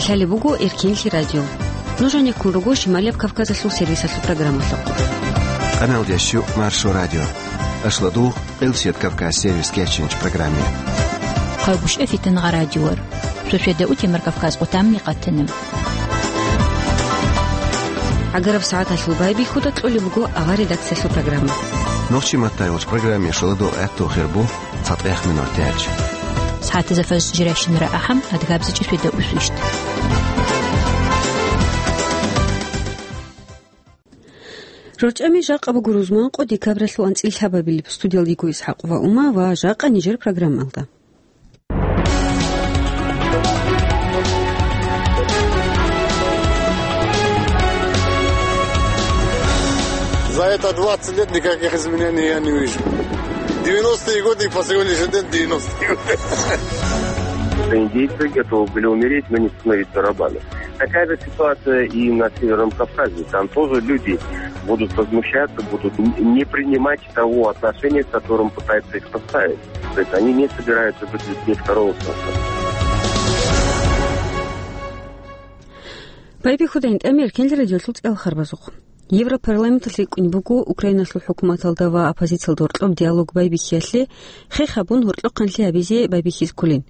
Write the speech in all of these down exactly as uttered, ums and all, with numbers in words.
Лъалеб буго Эркенлъи радио. Нуж гьанеккун руго Шималияб Кавказалъул сервисалъул программалъухъ. Къаналдящу Маршо радио. Ашладугъ, Къилсият Кавказ сервис кечинч программе. Хъайбушев Фитангъа радиор. Суседа утемар Кавказ къутамни къатана. ГӀагараб сагӀаталъул байбихьуда кьолеб буго авар редакциялъул программа. Нохчи маттайгъуч программе шоладул гӀатту хирбу цатӀех минор тяч. СагӀатазда фаз жиращинара ахӀам, адгабзичӀи светда усвищт. Рорчами жакъа буго рузманкъо декабралъул анцӀил лъабабилеб. Студиялдиго ИсхӀакъ ва Ума ва жакъа нижер программалда. За это двадцать лет никаких изменений я не вижу. Девяностые годы и по сегодняшний день девяностые годы. Индейцы готовы были умереть, но не становиться рабами. Такая же ситуация и на Северном Кавказе. Там тоже люди будут возмущаться, будут н-, не принимать того отношения, с которым пытаются их поставить. То есть они не собираются быть людьми второго сорта. Байбихьуда гьитӀами Эркенлъи радиолъул цӀеял харбазухъ. Европарламенталъ рикӀкӀунеб буго Украиналъул хӀукуматалда ва оппозициялда гьоркьоб диалог байбихьиялъе хех гьабун гьоркьохъанлъи гьабизе байбихьизе кколин.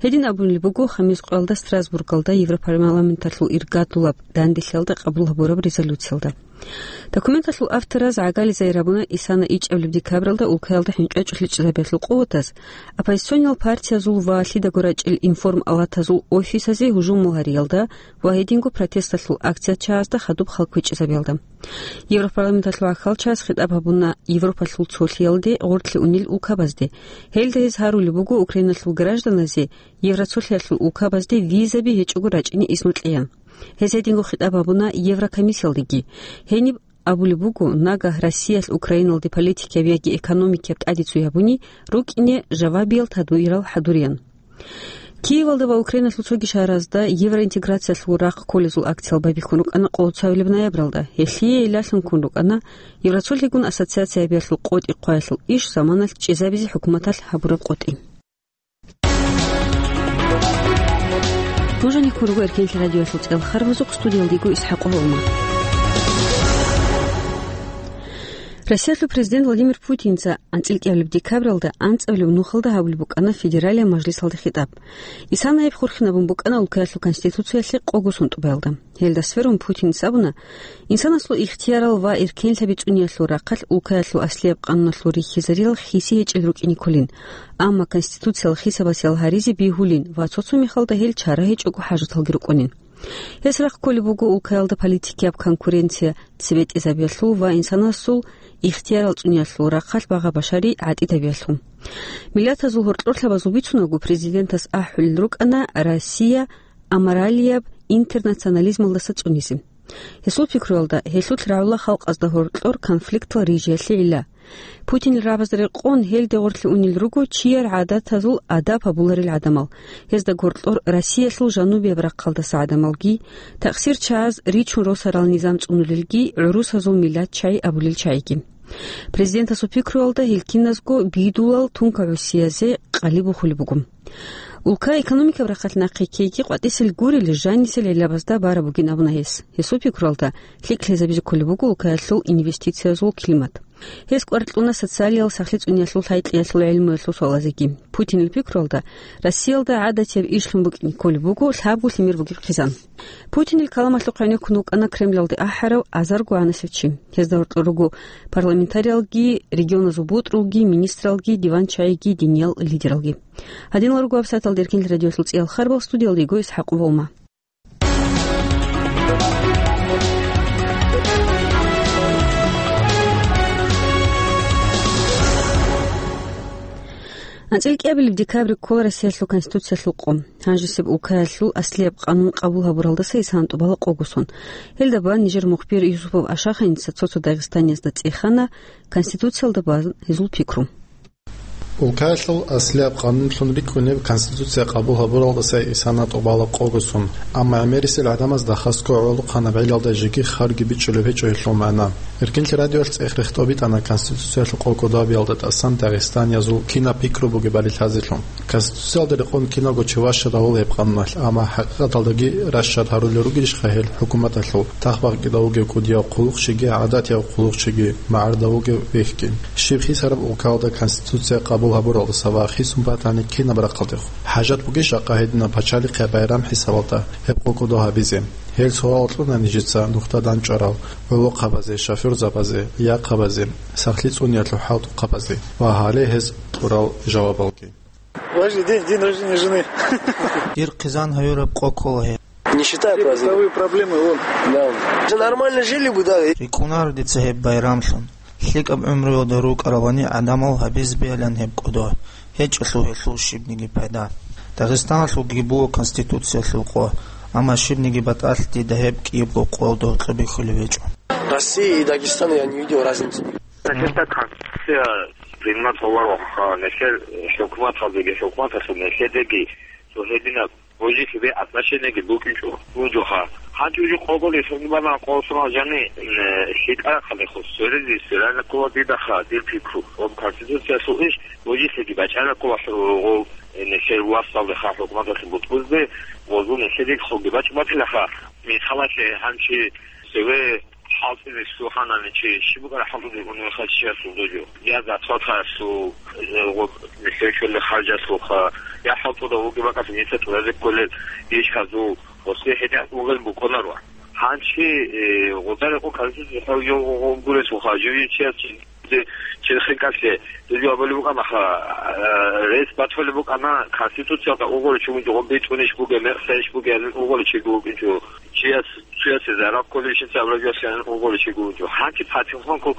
Гьедин абулеб буго хамис къоялда Страсбургалда Европарламенталъул иргадулаб данделъиялда къабул гьабураб резолюциялда. Документалъул автораз гӀагали загьир гьабуна исана ичӀабилеб декабралда улкаялда хӀинчӀвачӀулъи чӀезабиялъул къуватаз, оппозициониял партиязул ва лъидаго рачӀел информалатазул офисазе гьужумал гьариялда ва гьединго протесталъул акцият чагӀазда хадуб хал квечӀезабиялда. Европарламенталъул гӀахьалчагӀаз хитӀаб гьабуна Европалъул цолъиялде гъорлъе унел улкабазде. Гьелда гьез гьарулеб буго Украиналъул гражданазе Евроцолъиялъул улкабазде визаби гьечӀого рачӀине изну кьеян. Гьез гьединго хитӀаб гьабуна Еврокомиссиялдеги. Гьениб абулеб буго, нагагь Россиялъ Украиналде политикияб яги экономикияб тӀадицу гьабуни рукӀине жавабиял тадбирал хӀадуриян. Киевалда ва Украиналъул цоги шагьаразда евроинтеграциялъул рахъ кколезул акциял байбихьун рукӀана къоло цоабилеб ноябралда. Гьелъие гӀиллалъун ккун рукӀана Евроцолъигун ассоциациябиялъул къотӀи хъваялъул иш заманалъ чӀезабизе хӀукуматалъ гьабураб къотӀи. Нуж гьанеккун руго Эркенлъи радиоялъул цӀеял харбазухъ, студиялдиго ИсхӀакъ ва Ума. Россиялъул президент Владимир Путинца анцӀил кӀиабилеб декабралда анцӀабилеб нухалда гьабулеб букӀана Федералияб мажлисалда хитӀаб. Исана гьеб хурхинабун букӀана улкаялъул конституциялъе къого сон тӀубаялда. Гьелда сверун Путинца абуна, инсанасул ихтиярал ва эркенлъаби цӀуниялъул рахъалъ улкаялъул аслияб къануналъул рихьизарилал хиси гьечӀел рукӀине кколин, амма конституциялъ хисабасел гьаризе бегьулин ва цо-цо мехалда гьел чара гьечӀого хӀажаталги рукӀунин. Гьес рахъ кколеб буго улкаялда политикияб конкуренция цебетӀезабиялъул ва инсанасул ихтиярал цӀуниялъул рахъалъ багъа-башари гӀатӀидабиялъул. Миллатазул гьоркьорлъабазул бицунаго президентас ахӀулел рукӀана Россия аморалияб интернационализмалдаса цӀунизе. Гьесул пикруялда, гьелъулъ рагӀула халкъазда гьоркьор конфликтал рижиялъе гӀилла. Путинил рагӀабазда рекъон гьелде гъорлъе унел руго чияр гӀадатазул адаб гьабуларел гӀадамал. Гьезда гьоркьор Россиялъул жанубияб рахъалдаса гӀадамалги, такъсир чагӀаз ричун росарал низам цӀунулелги, гӀурусазул миллат чагӀи абулел чагӀиги. Президентасул пикруялда гьел киназго бидулал тунка гӀусиязе къалиб бухулеб буго. Улкаялъ экономикаб рахъалъ нахъе ккейги къватӀисел гурел жанисел гӀиллабазда бараб бугин абуна гьес. Гьесул пикруялда, лъикӀлъи гьезабизе кколеб буго улкаялъул инвестициязул климат. Гьес кӀвар кьуна социалиял сахлъи цӀуниялъул лъай-кьиялъул гӀелмуялъул суалазеги. Путинил пикруялда, Россиялда гӀадатияб ишлъун букӀине кколеб буго лъабго лъимер бугеб хъизан. Путинил каламалъухъ гӀенеккун вукӀана Кремлалде ахӀарав азарго гӀанасев чи. Гьезда гьоркьор руго парламентариялги, регионазул бутӀрулги, министралги, диванчагӀиги, диниял лидералги. Гьадинал руго вебсайталда Эркенлъи радиоялъул цӀеял харбал, студиялда йиго ИсхӀакъ ва Ума. АнцӀил кӀиабилеб декабрь ккола Россиялъул Конституциялъул къо. Гьанжесеб улкаялъул аслияб къанун къабул гьабуралдаса исана тӀубала къого сон. Гьелда бан нижер мухбир Юсупов Ашаханица цо-цо дагъистаниязда цӀехана Конституциялда бан гьезул пикру. Улкаялъул аслияб къанунлъун рикӀкӀунеб Конституция къабул гьабуралдаса исана тӀубала къого сон, амма гӀемерисел гӀадамаз дагьасго гӀолохъанаб гӀелалда жеги харги бичӀчӀулеб гьечӀо гьелъул магӀна. Эркинлъи радиоялъ цӀех рехтӀобитӀана Конституциялъул къого кодобиялда тӀасан дагъистаниязул кинаб пикру бугебали лъазелъун. Конституциялда рекъон киналго чи ващадавула гьеб къануналъ, амма хӀакъикъаталдаги ращад гьарулел ругелищха гьел хӀукуматалъул тахбакъида вугев кӀудияв хъулухъчиги, гӀадатияв хъулухъчиги, магӀарда вугев вехьги? Щиб хисараб улкалда Конституция къабул гьабуралдаса ва хисун батани кинаб рахъалдехун? ХӀажат бугищ жакъа гьединаб пачалихъе байрам хӀисабалда гьеб къокӀодо гьабизе? Гьел суал кьуна нижеца нухда дандчӀварал гӀолохъабазе, шофёрзабазе, яхъабазе, сахлъи цӀуниялъул хӀалтӀухъабазе ва гьале гьез кьурал жавабалги. Подожди, день, день рождения жены. Дир хъизан гьавураб къо ккола гьеб. Не считая праздник. Бытовые проблемы, вон. Да. Же нормально жили бы, да. РикӀкӀунаро дица гьеб байрамлъун. ЛъикӀаб гӀумруялда рукӀаралани гӀадамал гьабиз бегьилан гьеб кӀодо. ГьечӀелъул гьелъул щибниги пайда. Дагъистаналъулги буго Конституциялъул къо, амма щибниги батӀалъ дида гьеб кӀиябго къо доркьобихьулев гьечӀо. России и Дагестану я не видел разницы. Дагестан Конституция принимать гьавураб ха, нилъер хӀукуматалдеги, хӀукуматалъул нилъедаги цо гьединаб божи-лъиби отношениеги букӀинчӀо, бугоха. Гьанже уже къокъоли сунгибана къосуна жани, м, лъикӀа хъалихъус, сверизе, сверана ккола дидаха, дир пикру. Ва Конституциялъул иш божи-лъиги бачӀана ккола хӀу-, гъов, э, нилъер васалдеха хӀукуматалъе бутӀбузде, гъозул нилъеде хъуги бачӀ-, бачӀилаха. Михалалъе гьанчи севе хӀалтӀизе лъугьанани чи, щиб букӀара хӀалтӀуде унеха чиясул дожо? Я зарплатаялъул, э, гъоб-, нилъер щолеб харжалъулха, я хӀалтӀуда вугеб бакӀалъе нилъер тӀуразе кколел ишазул, гъосе гьедин угел букӀунаро. Гьанчи, э, гъода рекъон Конституциялъул гъо-, гъо-, гъо-, гурелъулха, жив чияс чи-, чи-, черхикалъе, дужо абулеб букӀанаха, э, рес батулеб букӀана, Конституциялда угъоре чи вугев, гъоб битӀунищ бугеб, мекъсайищ бугеб, гьанин угъоре чи вукӀинчӀо. Чияс, чиясе зарал кколебщинца абулагиялъе гьанин угъоре чи вукӀинчӀо. Гьанчи патихъанго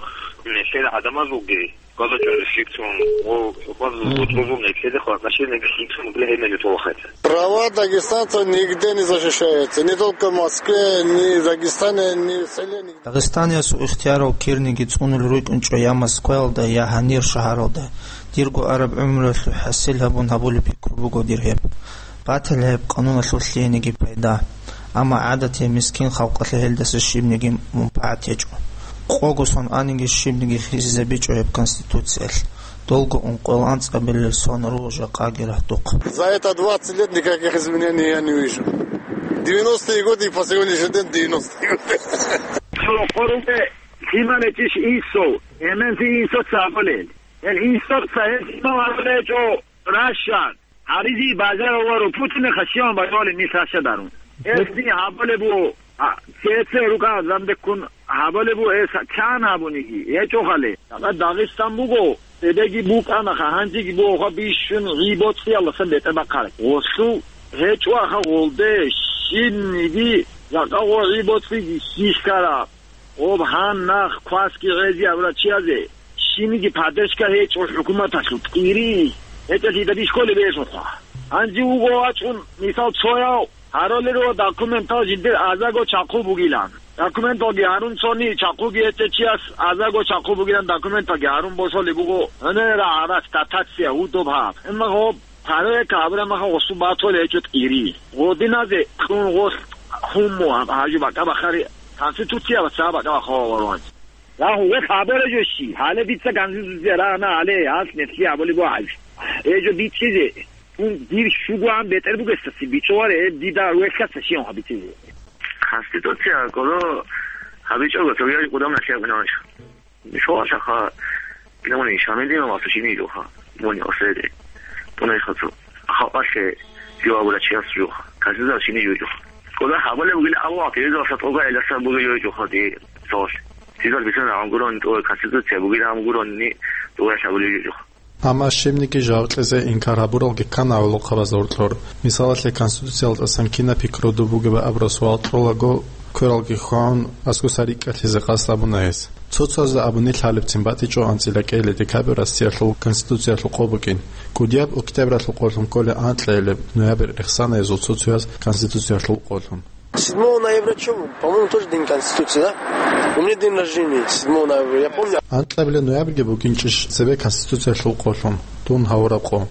нилъер гӀадамазулги, гьалачӀун лъикӀлъун, о, гьаб-, гьаб-, гьаб-, гьаб-, нилъеде хватӀнашилниги лъикӀлъун бугила гьеб мехалъ. Права дагестанцев нигде не защищается. Не только в Москве, ни в Дагестане, ни в селе, нигде. Дагъистаниясул ихтиярал кирниги цӀунулел рукӀинчӀо я Москваялда, я гьанир шагьаралда. Дирго араб гӀумруялъул хӀасил гьабун гьабулеб пикру буго дир гьеб. Батила гьеб къануналъул лъиениги пайда. Амма гӀадатияв мискин халкъалъе гьелдаса щибниги мунпагӀат гьечӀо. Къого сон аниги щибниги хисизабичӀо гьеб Конституциялъ. Долго ункъоялда анцӀабилел сон руго жакъаги рагьдухъ. За это двадцать лет никаких изменений я не вижу. Девяностые годы и по сегодняшний день девяностые годы. Лъималечиш инсул, эменлъи инсуца абулел. Эл инсуца, эл лъимал абулечӀо ращад. Гьаризи бажарав ва ру Путинахъа щиван бажарали нилъ ращадарун. Эл ни гьабулеб буго, а, цеце рукӀа замдеккун гьабулеб буго, эс чан гьабуниги гьечӀо хъале. Дагъа Дагъистан буго, цебеги букӀанаха, гьанжеги бугоха бищун гӀи-боцӀиялдасан бетӀер бахъараб. Гъолъул гьечӀо аха гъолде, щибниги жакъа гъо гӀи-боцӀиги хьихьараб. Гъоб гьан нах квасги гӀезияб рачиязе щибниги поддержка гьечӀо хӀукуматалъул тӀири. ГьечӀелъидаб ишколе бежунха. Гьанже вуго вачӀун, мисал, цояв гьарулел руго документал жиндир азаго чахъу бугилан. Документалги гьарун цони чахъуги гьечӀев чияс азаго чахъу бугилан документалги гьарун босулеб буго гьунера гьарас дотация гьудуб гьаб. Амма гъоб Гьаре кабра маха гъосу батуле гьечӀо тӀири. Гъодиназе кьун гъолъ хӀумму гьаб-, гьажу бакӀа бахари Конституция ва ца бакӀа бахарал варуан. Рагьу, гъолъ гьабура жо щи? Гьале дица Конституция рагьана гьале, гьалъ нилъги гьабулеб буго гьаб. Гье жо бичӀчӀизе, тун дир щугоан бетӀер бугесаси бичӀчӀуларе, гьеб дида вехьаса щиван гьаб бичӀчӀизе. Конституция кӀоло гьабичӀого, цоги гьабичӀого гъудам нахъе гьабуна гьанчо. Мисалалъаха, динамунин Шамилдин ва Сушини жуха, муни оследе. Пунайхацу. Халкъалъе жугьа гурачияс жуха. Казизал шини жуй жуха. Кода хабале бугин Аллагь, тезал сатога эласа бугин жуй жуха ди. Сос. Тезал бисан амгурон то Конституция бугин амгурон ни дугаш абули жуй жуха. Амма щибниги жавкьизе инкар гьабуралги ккана гӀолохъабаз гьоркьор. Мисалалъе, Конституциялдасан кина пикру дубугеба абураб суал кьолаго, квералги хъвагӀун, аскуса рикӀкӀалъизе къасд абуна гьес. Цо-цояз абуни лъалебцин батичӀо анцӀила кӀиабилеб декабрь Россиялъул Конституциялъул къо букӀин. КӀудияб октябралъул къолъун кколеб анкьабилеб ноябрь рехсана гьезул цо-цояз Конституциялъул къолъун. Седьмого ноября чё? По-моему, тоже день Конституции, да? У меня день рождения седьмого ноября, я помню. Анкьабилеб ноябрьги букӀинчӀищ цебе Конституциялъул къолъун, дун гьавураб къо?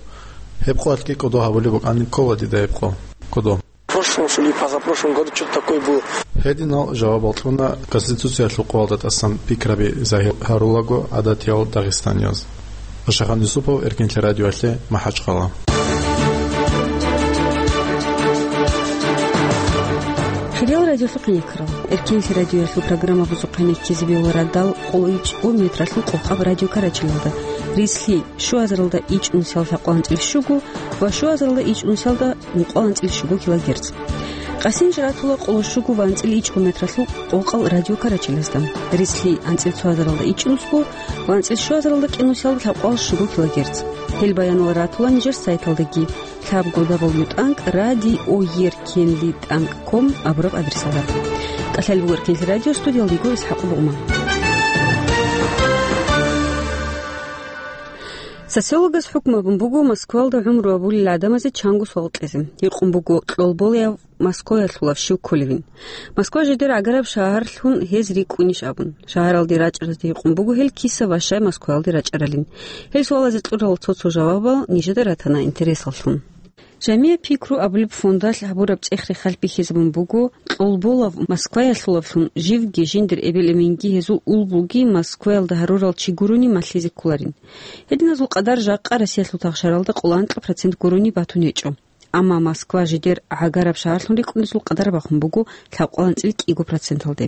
Гьеб къоялъги кӀодо гьабулеб букӀанин ккола дида гьеб къо. Кодо. В прошлом, что ли, позапрошлом году что-то такое было. Гьединал жавабал кьуна Конституциялъул къоялда тӀасан пикраби загьир гьарулаго гӀадатиял дагъистанияз. Пашахан Юсупов, Эркинлъи радиоялъе, МахӀачхъала. Хириял радиолъухъ никрал. Эркинлъи радиоялъул программа бузухъе ккезе бегьула радал къоло ичӀго метралъул къокъаб радио Карачалалда. Рислъи, щуазаралда ичӀнусиялда лъабкъоялда анцӀила щуго ва щуазаралда ичӀнусиялда ункъоялда анцӀила щуго килогерц. Къасин жратула къоло щуго ва анцӀила ичӀго метралъул къокъал радио Карачалазда. Рислъи анцӀила цоазаралда ичӀнусго ва анцӀила щуазаралда кӀинусиялда лъабкъоялда щуго килогерц. Гьел баянал ратула нижер сайталдаги, лъабго дабл ю тӀанкӀ радио еркенли тӀанкӀ ком абураб адресалда. КӀалъалеб буго Эркинлъи радио, студиялда йигур ИсхӀакъ Бугъма. Социологаз хӀукму гьабун буго Москвалда гӀумру гьабулел гӀадамазе чанго суал кьезе. Гьикъун буго кьолболаяв Москваялъулав щив кколевин. Москва жидер гӀагараб шагьарлъун гьез рикӀкӀунищ абун. Шагьаралде рачӀаразда гьикъун буго гьел киса ва щай Москваялде рачӀаралин. Гьел суалазе кьурал цо-цо жавабал нижеда ратана интересаллъун. «Жамигъ пикру» абулеб фондалъ гьабураб цӀех-рехалъ бихьизабун буго, кьолболав Москваялъулавлъун живги жиндир эбел-эменги гьезул улбуги Москваялда гьарурал чи гурони малъизе кколарин. Гьединазул къадар жакъа Россиялъул тахшаралда къоло анкьа процент гурони батун гьечӀо. Амма Москва жидер гӀагараб шагьарлъун рикӀкӀунезул къадар бахун буго лъабкъоялда анцӀила кӀиго проценталде.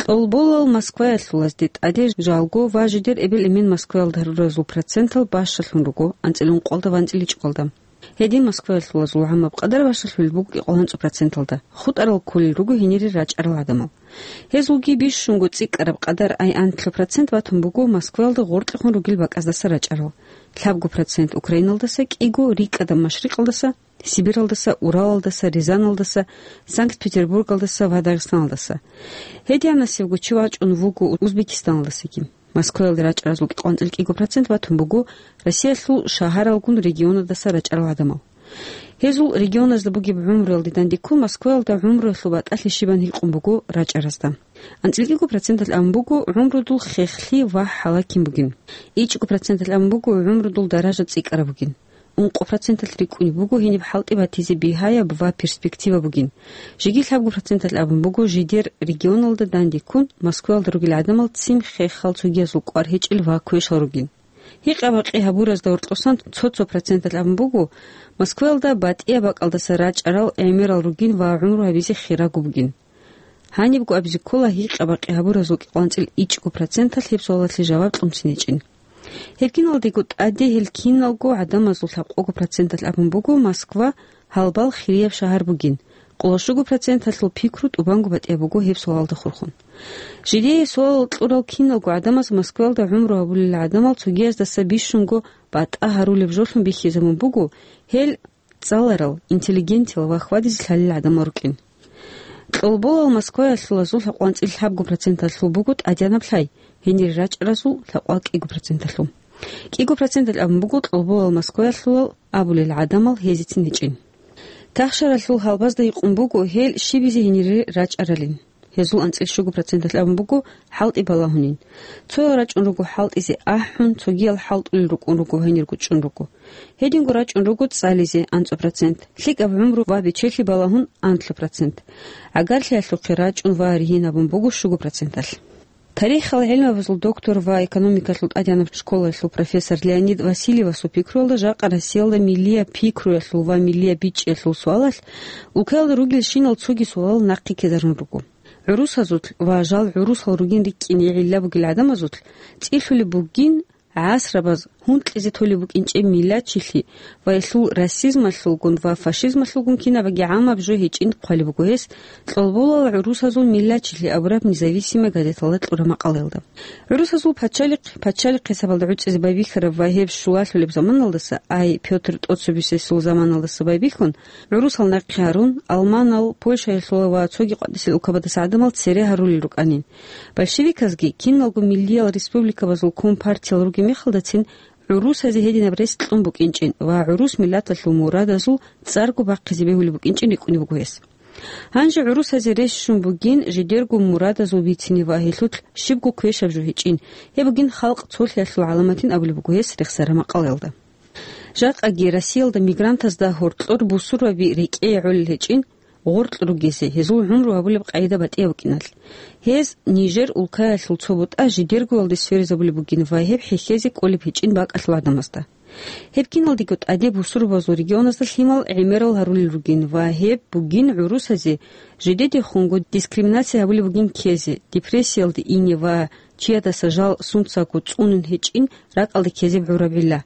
Кьолболал Москваялъулазде тӀаде жалго ва жидер эбел-эмен Москваялда гьаруразул процентал бащалъун руго анцӀила ункъоялда ва анцӀила ичӀоялда. Гьедин Москваялъулазул гӀамаб къадар бащалъулеб буго кӀикъоялда анцӀила проценталда, хутӀарал кколел руго гьенире рачӀарал гӀадамал. Гьезулги бищунго цӀикӀкӀараб къадар, ай анлъго процент батун буго Москваялда гъоркьехун ругел бакӀаздаса рачӀарал, лъабго процент Украиналдаса, кӀиго рикӀкӀадаб машрикъалдаса, Сибиралдаса, Уралалдаса, Рязаналдаса, Санкт-Петербургалдаса ва Дагъистаналдаса. Гьединасевго чи вачӀун вуго Узбекистаналдасаги. Москваялда рачӀаразул кӀикъоялда анцӀила кӀиго процент батун буго Россиялъул шагьаралгун регионалдаса рачӀарал гӀадамал. Гьезул регионазда бугеб гӀумруялде дандеккун Москваялда гӀумруялъул батӀалъи щибан гьикъун буго рачӀаразда. АнцӀила кӀиго проценталъ абун буго гӀумрудул хехлъи ва хӀалакин бугин. ИчӀго проценталъ абун буго гӀумрудул даража цӀикӀкӀараб бугин. Ункъо проценталъ рикӀкӀунеб буго гьениб хӀалтӀи батизе бигьаяб ва перспектива бугин. Жеги лъабго проценталъ абун буго жидер регионалда дандеккун Москваялда ругел гӀадамал ццин хехал цогиязул кӀвар гьечӀел ва квешал ругин. Гьикъа-бакъи гьабуразда гьоркьосан цо-цо проценталъ абун буго Москваялда батӀияб бакӀалдаса рачӀарал гӀемерал ругин ва гӀумру гьабизе хирагу бугин. Гьанибго абизе ккола гьикъа-бакъи гьабуразул кӀикъоялда анцӀила ичӀго проценталъ гьеб суалалъе жаваб кьунцин гьечӀин. Гьеб киналдего тӀаде гьел киналго гӀадамазул лъабкъого проценталъ абун буго Москва гьалбал хирияб шагьар бугин, къоло щуго проценталъул пикру тӀубанго батӀияб буго гьеб суалалда хурхун. Жидее суалал кьурал киналго гӀадамаз Москваялда гӀумру гьабулел гӀадамал цогияздаса бищунго батӀа гьарулеб жолъун бихьизабун буго гьел цӀаларал, интеллигентиял ва хьвадизе лъалел гӀадамал рукӀин. Кьолболал Москваялъулазул лъабкъоялда анцӀила лъабго проценталъул буго тӀадегӀанаб лъай, гьенире рачӀаразул лъабкъоялда кӀиго проценталъул. КӀиго проценталъ абун буго кьолболал Москваялъулал абулел гӀадамал гьезецин гьечӀин. Тахшаралъул гьалбазда гьикъун буго гьел щибизе гьенире рачӀаралин. Гьезул анцӀила щуго проценталъ абун буго хӀалтӀи балагьунин. Цоял рачӀун руго хӀалтӀизе ахӀун, цогиял хӀалтӀулел рукӀун руго, гьенирго чӀун руго. Гьединго рачӀун руго цӀализе анцӀго процент, лъикӀаб гӀумру ва бечелъи балагьун анлъго процент. ГӀагарлъиялъухъе рачӀун ва ригьин гьабун буго щуго проценталъ. Тарихал гӀилмабазул доктор ва экономикалъул тӀадегӀанаб школалъул профессор Леонид Васильевасул пикруялда, жакъа Россиялда миллияб пикруялъул ва миллияб бичӀчӀиялъул суалалъ улкаялда ругелщинал цоги суалал нахъе ккезарун руго. ГӀурусазулъ ва жал гӀурусал ругин рикӀкӀине гӀилла бугел гӀадамазулъ цӀилъулеб бугин гӀасрабаз гьункьизе толеб букӀинчӀеб миллатчилъи ва гьелъул расизмалъулгун ва фашизмалъулгун кинабаги гӀамаб жо гьечӀин хъвалеб буго гьес Кьолболал гӀурусазул миллатчилъи абураб «Независимая газеталда» кьураб макъалаялда. ГӀурусазул пачалихъ, пачалихъ хӀисабалда гӀуцӀизе байбихьараб ва гьеб щулалъулеб заманалдаса, ай Пётр ТӀоцебесесул заманалдаса байбихьун, гӀурусал нахъе гьарун, Алманал, Польшаялъула ва цоги къватӀисел улкабадаса гӀадамал цере гьарулел рукӀанин. Большевиказги киналго миллиял республикабазул компартиял ругеб мехалдацин гӀурусазе гьединаб рес кьун букӀинчӀин ва гӀурус миллаталъул мурадазул цӀарго бахъизе бегьулеб букӀинчӀин рикӀкӀунеб буго гьес. Гьанже гӀурусазе рес щун бугин жидерго мурадазул бицине ва гьелъулъ щибго квешаб жо гьечӀин. Гьеб бугин халкъ цолъиялъул гӀаламатин абулеб буго гьес рехсараб макъалаялда. Жакъаги Россиялда мигрантазда гьоркьор бусурбаби рекӀее гӀолел гьечӀин, гъоркь ругезе, гьезул гӀумру гьабулеб къагӀида батӀияб букӀиналъ. Гьез Нижер улкаялъул цо бутӀа жидергоялде сверизабулеб бугин ва гьеб хӀехьезе кӀолеб гьечӀин бакӀалъул гӀадамазда. Гьеб киналдего тӀаде бусурбабазул регионазда лъимал гӀемерал гьарулел ругин ва гьеб бугин гӀурусазе жидедехунго дискриминация гьабулеб бугин ккезе, депрессиялде ине ва чиясдаса жал сунцаго цӀунун гьечӀин ракӀалде ккезеб гӀураб гӀилла.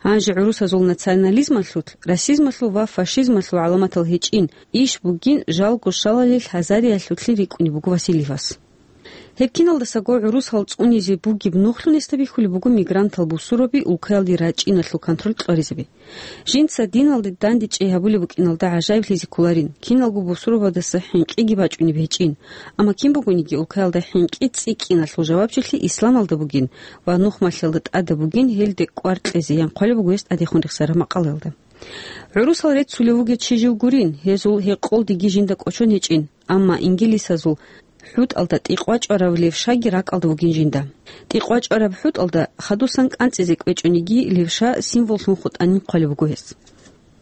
Гьанже гӀурусазул национализмалъулъ, расизмалъул ва фашизмалъул гӀаламатал гьечӀин, иш бугин жалго щалалел гьазариялъулъе рикӀкӀунеб буго Васильевас. Гьеб киналдасаго гӀурусал цӀунизе бугеб нухлъун гьесда бихьулеб буго мигрантал бусурбаби улкаялде рачӀиналъул контроль кьваризаби. Жинца диналде дандечӀей гьабулеб букӀиналда гӀажаиблъизе кколарин, киналго бусурбабаздаса хӀинкъиги бачӀунеб гьечӀин. Амма кин бугониги улкаялда хӀинкъи цӀикӀкӀиналъул жавабчилъи исламалда бугин ва нухмалъиялда тӀадаб бугин гьелде кӀвар кьезе, ян хъвалеб буго гьес тӀадехун рехсараб макъалаялда. ГӀурусал реццулев вугев чи жив гурин, гьезул гьекъолдиги жинда кӀочон гьечӀин, амма ингилисазул хӀутӀалда тӀикъвачӀварав левшаги ракӀалда вугин жинда. ТӀикъвачӀвараб хӀутӀалда хадусан кӀанцӀизе кӀвечӀониги левша символлъун хутӀанин хъвалеб буго гьес.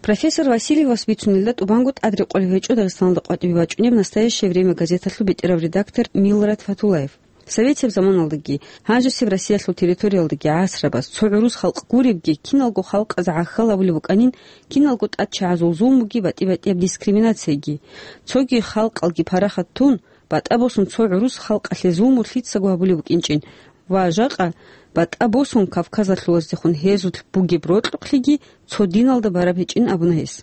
Профессор Васильевас бицунелда тӀубанго тӀад рекъолеб гьечӀо Дагъистаналда къватӀибе бачӀунеб «Настоящее время» газеталъул бетӀерав редактор Милрат Фатуллаев. Советияб заманалдаги, гьанжесеб Россиялъул территориялдаги гӀасрабаз цо гӀурус халкъ гуребги, киналго халкъаз гӀахьал абулеб букӀанин, киналго тӀадчагӀазул зулмуги батӀи-батӀияб дискриминацияги. Цоги халкъалги парахат тун, батӀа босун цо гӀурус халкъалъе зулму лъицаго гьабулеб букӀинчӀин ва жакъа батӀа босун кавказалъулаздехун гьезулъ бугеб рокьукълъиги цо диналда бараб гьечӀин абуна гьес.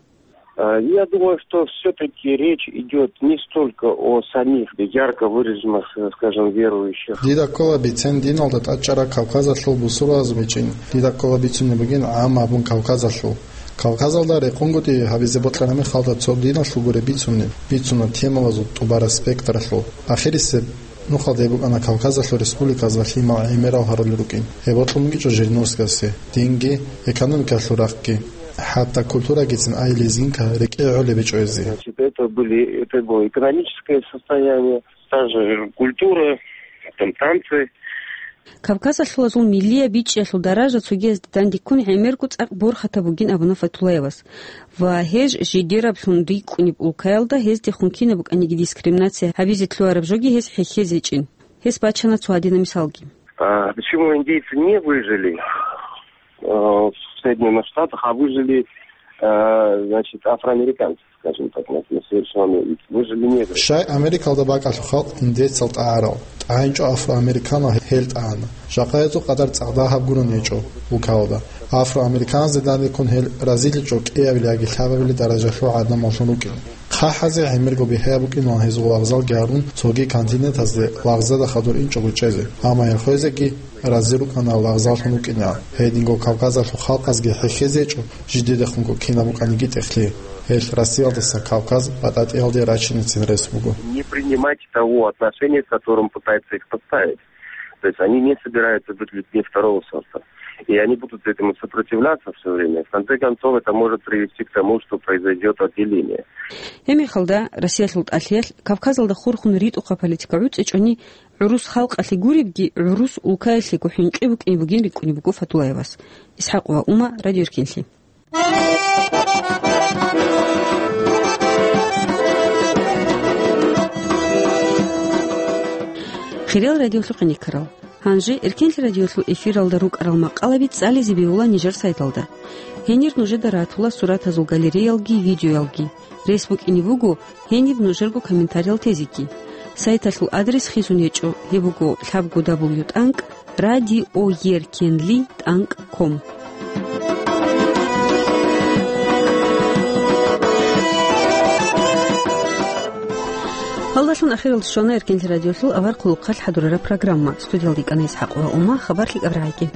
А, я думаю, что всё-таки речь идёт не столько о самих ярко выраженных, э, скажем, верующих. Дида ккола бицен диналда тӀадчӀарал Кавказалъул бусурбабаз бечӀин. Дида ккола бицунеб бугин гӀам абун Кавказалъул. Кавказалда рекъонгутӀи гьабизе бокьараб мехалда цо диналъул гуреб бицунеб, бицуна темалазул тӀубараб спектралъул. Ахирисеб нухалда гьеб букӀана Кавказалъул республиказ ва лъимал гӀемерал гьарулел рукӀин. Гьеб бокьун бугичӀо Жириновскасде, динги, экономикалъул рахъги, хӀатта культурагицин ай лезгинка рекӀее гӀолеб гьечӀо гьезие. Значит, это были, это было экономическое состояние, та же культура, там танцы. Кавказалъулазул миллияб бичӀчӀиялъул даража цогиязде дандеккун гӀемерго цӀакъ борхатаб бугин абуна Фатуллаевас. Ва гьез жидераблъун рикӀкӀунеб улкаялда гьездехун кинаб букӀаниги дискриминация гьабизе лъугьараб жоги гьез хӀехьезе гьечӀин. Гьес бачана цо гьадинаб мисалги. А почему индейцы не выжили, э, в Соединённых Штатах, а выжили, э, значит, афроамериканцы, скажем так, на, на совершеннолетие? Выжили негры. Щай Америкалда бакӀалъул халкъ индейцал тӀагӀарал, тӀагӀинчӀо афроамериканал гьел тӀагӀана. Жакъа гьезул къадар цӀакъ дагьаб гурони гьечӀо улкалда. Афроамериканазде дандеккун гьел разиличӀо кӀиабилеб яги лъабабилеб даражалъул гӀадамаллъун рукӀин. ХъахӀазе гӀемерго бихӀияб букӀинилан гьезул вокзалги гьарун цоги континентазде вокзалда хадур инчӀого чӀезе. Амма гьел хвезеги рази рукӀана вокзаллъун вукӀинегӀан. Гьединго Кавказалъул халкъазги хӀехьезе гьечӀо жидедехунго кинаб букӀаниги тӀехълъи. Гьел Россиялдаса Кавказ батӀатӀиялде рачинецин рес буго. Не принимать того отношения, с которым пытаются их подставить. То есть они не собираются быть людьми второго сорта. И они будут этому сопротивляться всё время. В конце концов, это может привести к тому, что произойдёт отделение. Гьеб мехалда, Россиялъул тӀалъиялъ Кавказалда хурхун ритӀухъаб политика гӀуцӀичӀони, гӀурус халкъалъе гуребги, гӀурус улкаялъего хӀинкъи букӀине бугин рикӀкӀунеб буго Фатуллаевас. Исхакъова Ума, Радио Эркенлъи. Хириял радиолъухъе никарал. Гьанже Эркенлъи радиолъул эфиралда рукӀарал макъалаби цӀализе бегьула нижер сайталда. Гьенир нужеда ратула суратазул галереялги видеоялги. Рес букӀине буго гьениб нужерго комментариял тезеги. Сайталъул адрес хисун гьечӀо, гьеб буго лъабго дабл ю тӀанкӀ радиоеркенли тӀанкӀ ком. Гьалдалъун ахиралде щвана Эркенлъи радиолъул авар хъулухъалъ хӀадурараб программа. Студиялда йикӀана Исхакъова Ума, хабар лъикӀаб рагӀиги.